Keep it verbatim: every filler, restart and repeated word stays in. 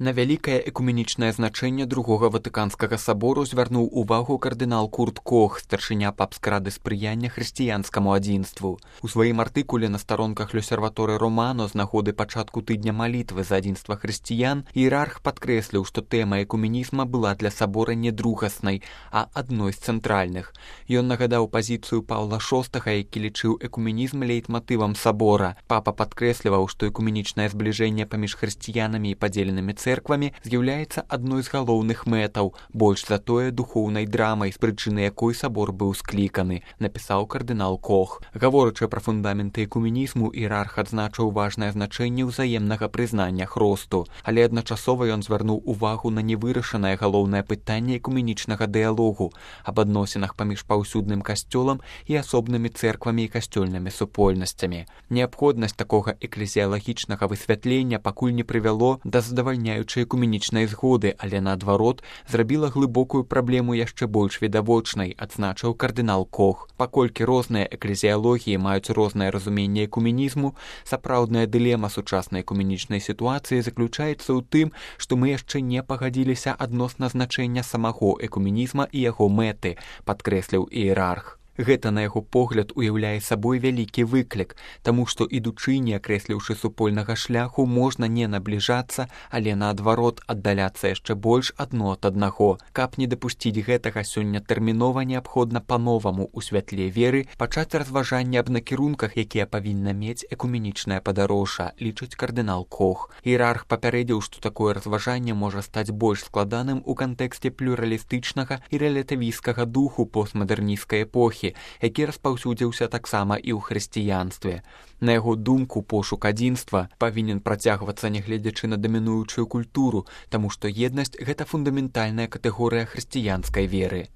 На вялікае экуменічнае значэнне другога ватыканскага сабору звярнуў увагу кардынал Курт Кох, старшыня папскай рады спрыяння хрысціянскаму адзінству. У сваім артыкуле на старонках L'Osservatore Romano з нагоды пачатку тыдня малітвы за адзінства хрысціян іерарх падкрэсліў, што тэма экуменізма была для сабора не другаснай, а адной з цэнтральных. Ён нагадаў пазіцыю Паўла шостага, які лічыў экуменізм лейтматывам сабора. Папа падкрэсліваў, што экуменічнае збліжэнне паміж хрысціянамі і падзеленымі цэрквамі церквамі з'яўляецца адной з галоўных мэтаў, больш за тое духоўнай драмай, з прычыны якой сабор быў скліканы, напісаў кардынал Кох. Гаворачы пра фундаменты экуменізму, іерарх адзначыў важнае значэнне ўзаемнага прызнання хросту, але адначасова ён звярнуў увагу на невырашанае галоўнае пытанне экуменічнага дыялогу аб адносінах паміж паўсюдным касцёлам і асобнымі цэрквамі і касцёльнымі супольнасцямі. Неабходнасць такога эклезіялагічнага высвятлення пакуль не прывяло да задавальняючай экуменічнай згоды, але наадварот зрабіла глыбокую праблему яшчэ больш відавочнай, адзначыў кардынал Кох. Паколькі розныя эклезіялогіі маюць рознае разуменне экуменізму, сапраўдная дылема сучаснай экуменічнай сітуацыі заключаецца ў тым, што мы яшчэ не пагадзіліся адносна значэння самого экуменізма і яго мэты, падкрэсліў іерарх. Гэта, на яго погляд, уяўляе сабой вялікі выклік, таму што, ідучы, не акрэсліўшы супольнага шляху, можна не набліжацца, але наадварот аддаляцца яшчэ больш адно ад аднаго. Каб не дапусціць гэтага, сёння тэрмінова неабходна па-новаму ў святле веры пачаць разважанне аб накірунках, якія павінна мець экуменічнае падарожжа, лічыць кардынал Кох. Іерарх папярэдзіў, што такое разважанне можа стаць больш складаным у кантэксце плюралістычнага і рэлятывісцкага духу постмадэрнісцкай эпохі, які распаўсюдзіўся таксама і ў хрысціянстве. На яго думку, пошук адзінства павінен працягвацца, нягледзячы на дамінуючую культуру, таму што еднасць – гэта фундаментальная катэгорыя хрысціянскай веры.